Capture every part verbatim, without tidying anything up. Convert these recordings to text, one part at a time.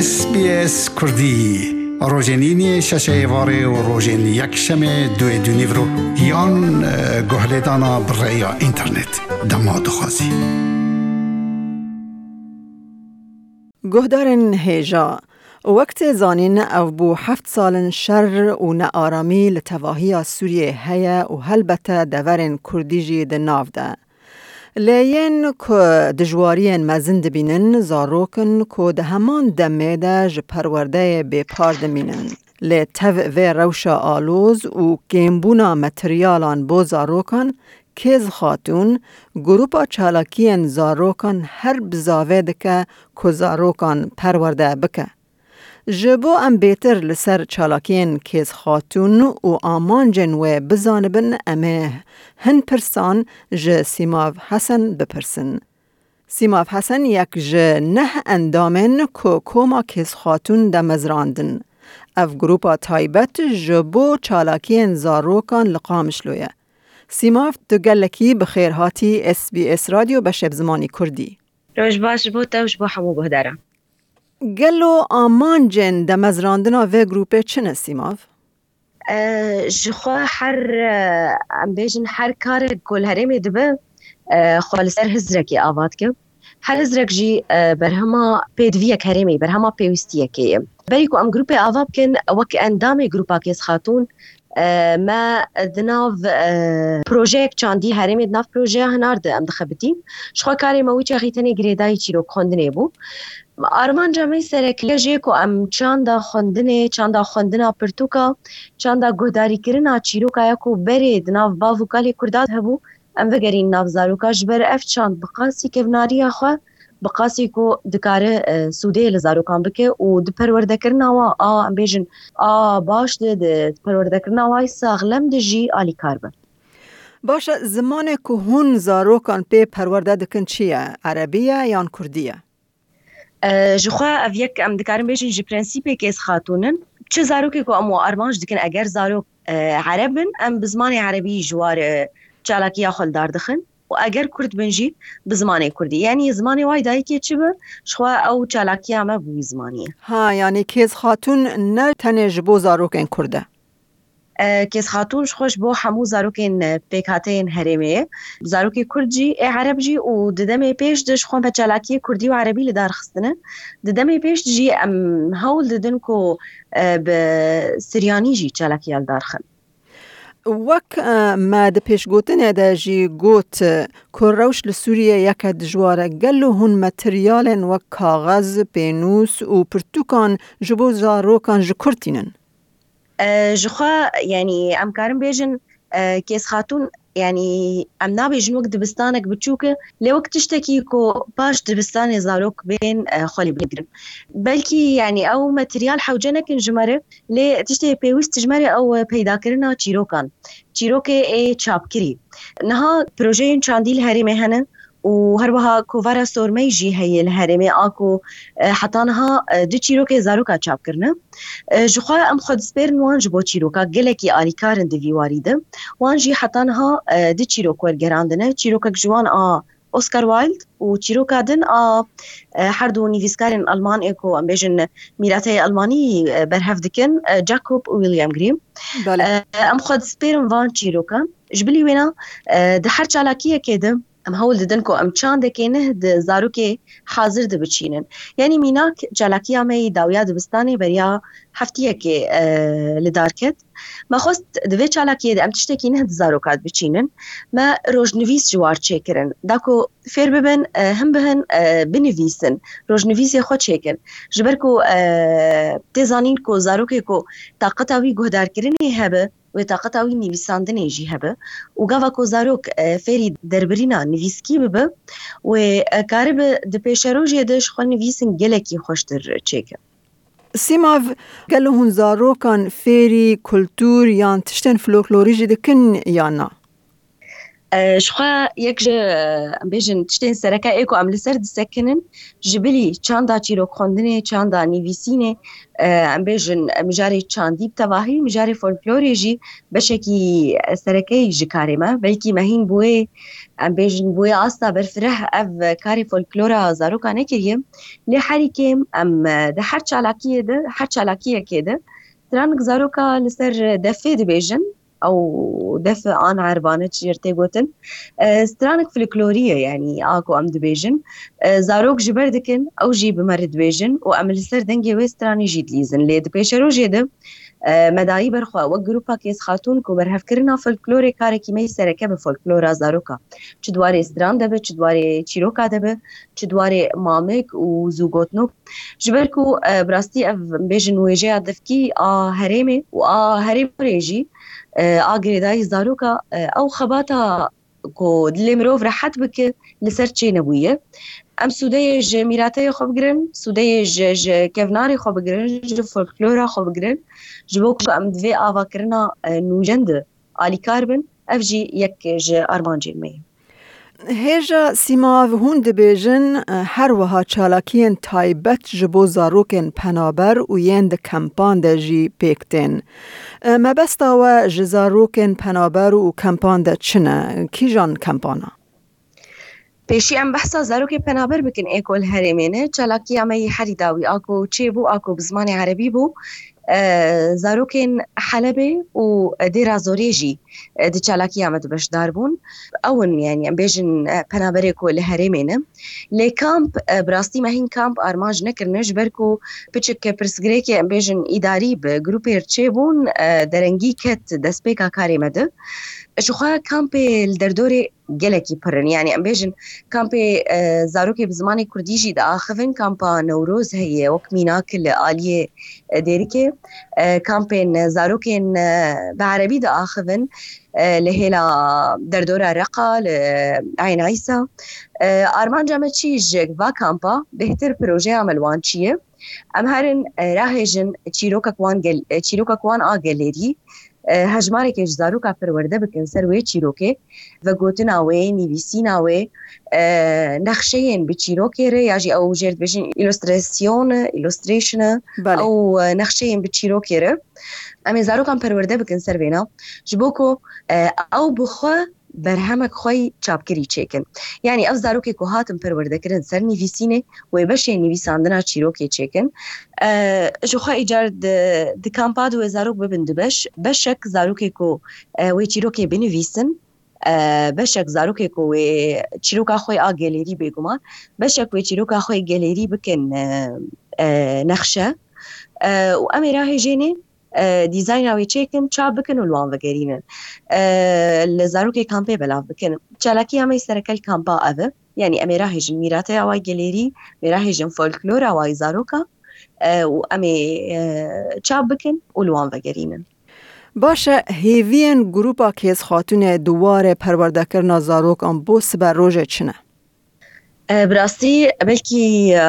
S B S Kurdî, rojên îniyê şeşê êvarê û rojên yekşemê duê dûnîvro yan, e, guhlêdana bi rêya înternet. Dema dixwazî. Guhdarên hêja, wek tê zanîn, ev bû heft sal in şer û nearamî li tevahiya Sûriyê heye û helbete deverên Kurdî jî di nav de. Lê yên ku dijwariyên mezin dibînin, zarok in ku di heman demê de ji perwerdeyê bêpar dimînin. Lê tev vê rewşa aloz û kêmbûna materyalan bo zarokan, Kêz Xatûn, grupa çalakiyên zarokan her bizavê dike ku zarokan perwerde bike. Ji bo em bêtir li ser çalakiyên Kêz Xatûn û amancên wê bizanibin, em ê hin pirsan ji Sîmav Hesen bipirsin. Sîmav Hesen yek ji neh endamên ku koma Kêz Xatûn demezrandin. Ev grupa taybet ji bo çalakiyên zarokan li Qamişlo ye. Sîmav, tu gelekî bi xêr hatî S B S Radyo beşê bi zimanî Kurdî. Roj baş ji bo te û ji bo hemû guhdaran. Gelo amancên demezrandina vê grûpê çi ne, Sîmav? E, ji xwe her, e, em bêjin her karek ku li herêmê dibe, e, xwe li ser hizrekê ava dike. Her hizrek jî, e, berhema pêdiviyek herêmê, berhema pêwîstiyekê ye. Berî ku em grûpê ava bikin, wek endamê grûpa Kêz Xatûn, e, me di nav, e, projeyek çandî herêmê, di nav projeya Hinar de em dixebitîn. Ji xwe karê me wî çaxî tenê girêdayî çîrok xwendinê bû. Armanca me sereke jê ku em çanda xwendinê, çanda xwendina pirtûka, çanda guhdarîkirina çîroka ya ku berê di nav bav û kalê Kurda de hebû, em vegerîn nav zaroka, ji ber ev çand bi qasî kevnariya xwe, bi qasî ku dikare, e, sûdê li zarokan bike û di perwerdekirina wan a, em bêjin, a baş de, di perwerdekirina wan saxlem de jî alîkar be. Baş e, zimanê ku hûn zarokan pê perwerde dikin çi ye? Erebî ye yan Kurdî ye? E, ji xwe ev yek, em dikarin bêjin, ji prensîpê Kêz Xatûn in. Çi zarokê ku em wan armanc dikin, eger zarok, e, ereb bin, em bi zimanê erebî ji war, e, çalakiya xwe li dar dixin û eger kurd bin jî bi zimanê kurdî. Yanî zimanê wayê dayikê çi bi, ji xwe ew çalakiya me bi wî zimanî ye. Ha, yanî Kêz Xatûn ne tenê ji bo zarokên kurd e? E, Kêz Xatûn ji xwe ji bo hemû zarokên, e, pêkhateyên herêmê ye. Zarokê kurd jî, ê ereb jî û di demê pêş de ji xwe me çalakiyê kurdî û erebî li dar xistine. Di demê pêş de jî em hewl didin ku, e, bi siryanî jî çalakiya li dar xin. Wek, e, me di pêşgotinê de jî got, e, ku rewş li Sûriyê yeke dijwar e. Gelo hûn materyalên wek kaxez, pênûs û pirtûkan ji bo zarokan ji kur tînin? E, ji xwe, yanî, em karin bêjin, e, Kêz Xatûn, yanî, em nabêjin wek dibistanek biçûk e, lê wek tiştekî ku paş dibistanê zarok bên, e, xwe lê bigirin. Belkî, yanî, ew materyal hewce nekin ji me re, lê tiştê pêwîst ji me re ew, e, peydakirina çîrokan. Çîrokê ê çapkirî. Niha projeyên çandî li herêmê hene, û her wiha kovara Sormey jî heye li herêmê, a ku, e, heta niha, e, du çîrokê zaroka çap kirine. E, ji xwe em xwe dispêrin wan ji bo çîroka gelekî alîkar in di vî warî de. Wan jî heta niha, e, du çîrok wergerandine. Çîrokek ji wan a Oscar Wilde û çîroka din a, e, her du nivîskarên Alman ê ku em bêjin mîrateyê Almanî, e, berhev dikin, e, Jacob û William Grimm. Belê. E, em xwe dispêrin van çîrokan. Ji bilî wêna, e, di her çalakiyekê de em hewl didin ku em çandekê neh di zarokê hazir de biçînin. Yanî mînak çalakiya me yî dawiya dibistanê beriya heftiyekê, e, li dar ket. Me xwest di vê çalakiyê de em tiştekî neh di zaroka de biçînin. Me rojnivîs ji war çêkirin. Da ku fêr bibin, e, hin bihin, e, binivîsin. Rojnivîsê xwe çêkin. Ji ber ku, e, tê zanîn ku zarokê ku taqeta wî guhdarkirinê hebe, wê taqeta wî nivîsandinê jî hebe û gava ku zarok, e, fêrî derbirîna nivîskî bibe, wê, e, karibe di pêşerojê de ji xwe nivîsin gelekî xweştir çêke. Sîmav, gelo hûn zarokan fêrî kultûr yan tiştên folklorî jî dikin yan na? E, ji xwe yek ji, e, em bêjin tiştên sereke ê ku em li ser disekinin, ji bilî çanda çîrokxwendinê, çanda nivîsînê, e, em bêjin, e, mijarê çandî bi tevahî, mijarê folklorê jî beşekî, e, sereke yî ji karê me. Belkî me hîn bi wê, em bêjin, bi wê asta berfireh ev karê folklora zaroka nekiriye. Lê herî kêm em, e, di her çalakiyê de, her çalakiyekê de stranik zaroka li ser defê dibêjin. Ew def an erbane çi jê tê gotin. E, stranik folklorî ye, yanî a ku em dibêjin. E, zarok ji ber dikin, ew jî bi me re dibêjin û em li ser dengê wê stranê jî dilîzin. Lê di pêşerojê de, e, me dayî ber xwe wek grûpa Kêz Xatûn ku berhevkirina folklorê karekî me yî sereke bi folklora zaroka. Çi di warê stran de be, çi di warê çîroka de be, çi di warê mamik û zûgotnok. Ji ber ku, e, bi rastî ev, em bêjin, wêjeya devkî a herêmê û a herêmê jî, e, a girêdayî zaroka, e, ew xebata ku dilê mirov rehet bike, li ser çênebûye. Em sûdeyê ji mîrateyê xwe bigirin, sûdeyê ji, ji kevnarê xwe bigirin, ji folklora xwe bigirin, ji bo ku em di vê avakirina, e, nûjen de alîkar bin, ev jî yek ji armancên me ye. Hêja Sîmav, hûn dibêjin, e, her wiha çalakiyên taybet ji bo zarokên penaber û yên di kempan de jî pêk tên. E, mebesta we ji zarokên penaber û kempan de çi ne? Kîjan kempana? Pêşî em behsa zarokê penaber bikin ê ku li herêmê ne. Çalakiya me yî herî dawî a ku çêbû, a ku bi zimanê erebî bû, e, zarokên Helebê û Dêra Zorê jî, e, di çalakiya me de beşdar bûn. Ew in, yanî em bêjin, e, penaberê ku li herêmê ne. Lê kamp, e, bi rastî me hîn kamp armanc nekirine, ji ber ku piçik pirsgirêkê, em bêjin, îdarî bi grûpê re çêbûn, e, derengî ket destpêka karê me de. Ji xwe kampê li derdorê gelekî pir in. Yanî em bêjin kampê, e, zarokê bi zimanê kurdî jî diaxivin. Kampa Newroz heye wek mînak li aliyê, e, Dêrikê. E, kampên zarokên, e, bi erebî diaxivin, e, li hêla derdora Reqa, li Eyn Îsa. E, armanca me çi ji va kampa bêhtir projeya me li wan çi ye? Em herin, e, rahêjin çîrokek wan gel-, e, çîrokek wan a gelêrî, e, hejmareke ji zaroka perwerde bikin ser wê çîrokê, vegotina wê, nivîsîna wê, e, nexşeyên bi çîrokê re, ya jî ew jê re dibêjin îlostrasyon e, illustration e, Belê. ew, e, nexşeyên bi çîrokê re. Em ê zarokan perwerde bikin ser vêna, ji bo ku, e, ew bi xwe berhemek xwe yî çapkirî çêkin. Yanî ev zarokê ku hatin perwerdekirin ser nivîsînê, wê beşê nivîsandina çîrokê çêkin. E, ji xwe îcar di, di kampa de wê zarok bibin du beş. Beşek zarokê ku, e, wê çîrokê binivîsin, e, beşek zarokê ku wê çîroka xwe a gelêrî bêguman, beşek wê çîroka xwe gelêrî bikin, e, e, nexşe. E, û em ê rahêjênê, e, dîzayna wê çêkin, çap bikin û li wan vegerînin. E, li zarokê kampê belav bikin. Çalakiya me sereke li kampa ev e. Yanî em ê rahêjin mîrateya wa gelêrî, em ê rahêjin folklora wa yî zaroka, e, û em ê, e, çap bikin û li wan vegerînin. Baş e, hêviyên grûpa Kêz Xatûnê di warê perwerdekirina zarokan bo sibe rojê çi ne? E, bi rastî, belkî, e,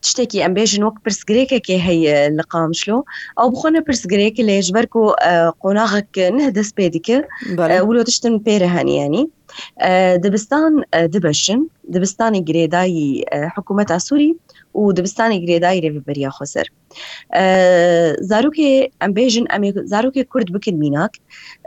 tiştekî em bêjin wek pirsgirêkekê heye li Qamişlo. Ew bi xwe ne pirsgirêk, lê ji ber ku, e, qonaxek nuh dest pê dike, Belê. e, wilo tiştin pê re hene, yanî. E, dibistan, e, dibeşin. Dibistanê girêdayî, e, hikûmeta Sûrî û dibistanê girêdayî Rêveberiya Xweser. E, zarokê, em bêjin, em ê zarokê Kurd bikin mînak.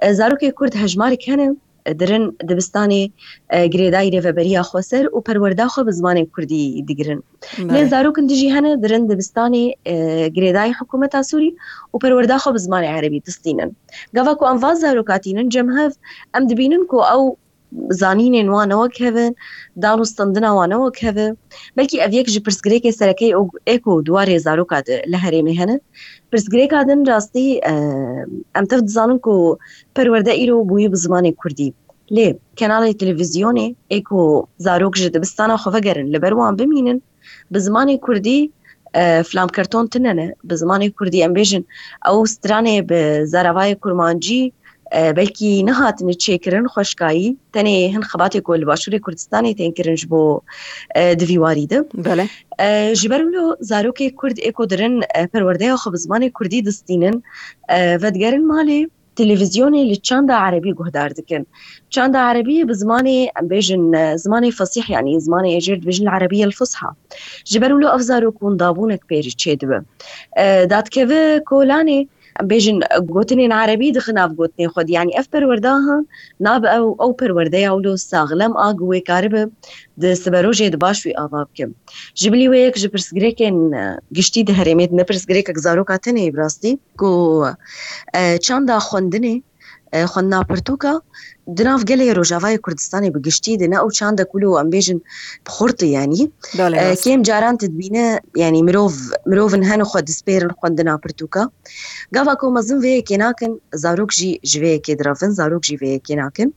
E, zarokê Kurd hejmarek hene, dirin dibistanê, e, girêdayî Rêveberiya Xweser û perwerda xwe bi zimanê Kurdî digirin. Lê Belê. zarokin dijî hene, dirin dibistanê, e, girêdayî hikûmeta Sûrî û perwerda xwe bi zimanê erebî distînin. Gava ku em van zaroka tînin cem hev, em dibînin ku ew zanînên wan ne wek hev in, dan û standina wan ne wek hev e. Belkî ev yek ji pirsgirêkê sereke ye ê ku di warê zaroka de li herêmê hene. Pirsgirêka din rastî, e, em tev dizanin ku perwerde îro bûyî bi zimanê Kurdî. Lê kenalê televîzyonê ê ku zarok ji dibistana xwe vegerin li ber wan bimînin, bi zimanê Kurdî, e, filamkerton tune ne. Bi zimanê Kurdî em bêjin ew stranê bi zaravayê kurmancî, e, belkî nehatine çêkirin xweşkayî, tenê hin xebatê ku li Başûrê Kurdistanê tên kirin ji bo, e, di vî warî de. Belê. E, ji ber wilo zarokê Kurd ê ku dirin, e, perwerdeya xwe bi zimanê Kurdî distînin, e, vedigerin malê, televîzyonê li çanda erebî guhdar dikin. Çanda erebî bi zimanê, em bêjin, e, zimanê fesîh, yanî zimanê êcêr dibêjin el-Erebîye el-Fusha. Ji ber wilo ev zarok hûn dabûnek pê re çêdibe. E, dadikeve kolanê, em bêjin, gotinên erebî dixe nav gotinên xwe de. Yanî ev perwerdahan nabe ew, ew perwerdeya wilo saxlem a ku wê karibe di siberojê de baş wî ava bike. Ji bilî wê yek ji pirsgirêkên, e, giştî di herêmê de ne pirsgirêkek zaroka tenê ye bi rastî, ku, e, çanda xwendinê, e, xwendina pirtûka di nav gelê Rojavayê Kurdistanê bi giştî de ne ew çandek wilo em bêjin bi xurt e, yanî, Belê, e, rast. Kêm caran tu dibîne, yanî mirov, mirovin hene xwe dispêrin xwendina pirtûka. Gava ku mezin vê yekê nakin, zarok jî ji vê yekê direvin, zarok jî vê yekê nakin.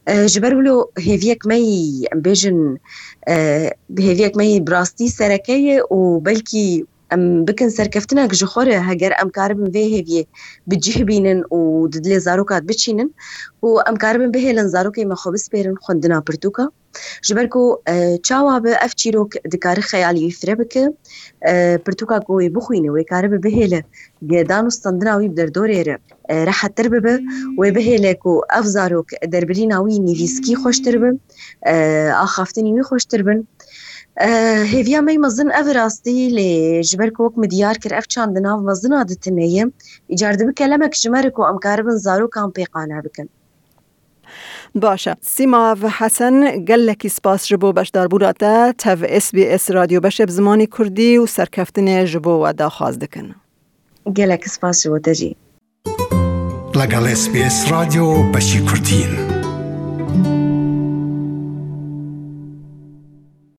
E, ji ber wilo hêviyek me yî, em bêjin, e, hêviyek me yî bi rastî sereke ye û belkî em bikin serkeftinek ji xwe re, heger em karibin vê hêviyê bi cih bînin û di dilê zaroka de biçînin û em karibin bihêlin zarokê me xwe bispêrin xwendina pirtûka. Ji ber ku, e, çawa be ev çîrok dikare xeyalî wî fire bike, e, pirtûka ku wê bixwîne, wê karibe bihêle gedan û standina wî bi derdorê re, e, rehettir bibe, wê bihêle ku ev zarok derbirîna wî nivîskî xweştir be, e, axaftinî wî xweştir bin. E, hêviya me yî mezin ev rastî lê ji ber ku wek min diyar kir ev çand di nav mezina de tune ye, îcar dibe kelemek ji me re ku em karibin zarokan pê qane bikin. Baş e. Sîma Hesen, gelekî spas ji bo beşdarbûna te tev S B S Radyo Beşê bi zimanê Kurdî û serkeftinê ji bo we daxwaz dikin. Gelek spas ji bo te jî. لەگەڵ S B S رادیۆ بەشی کوردین.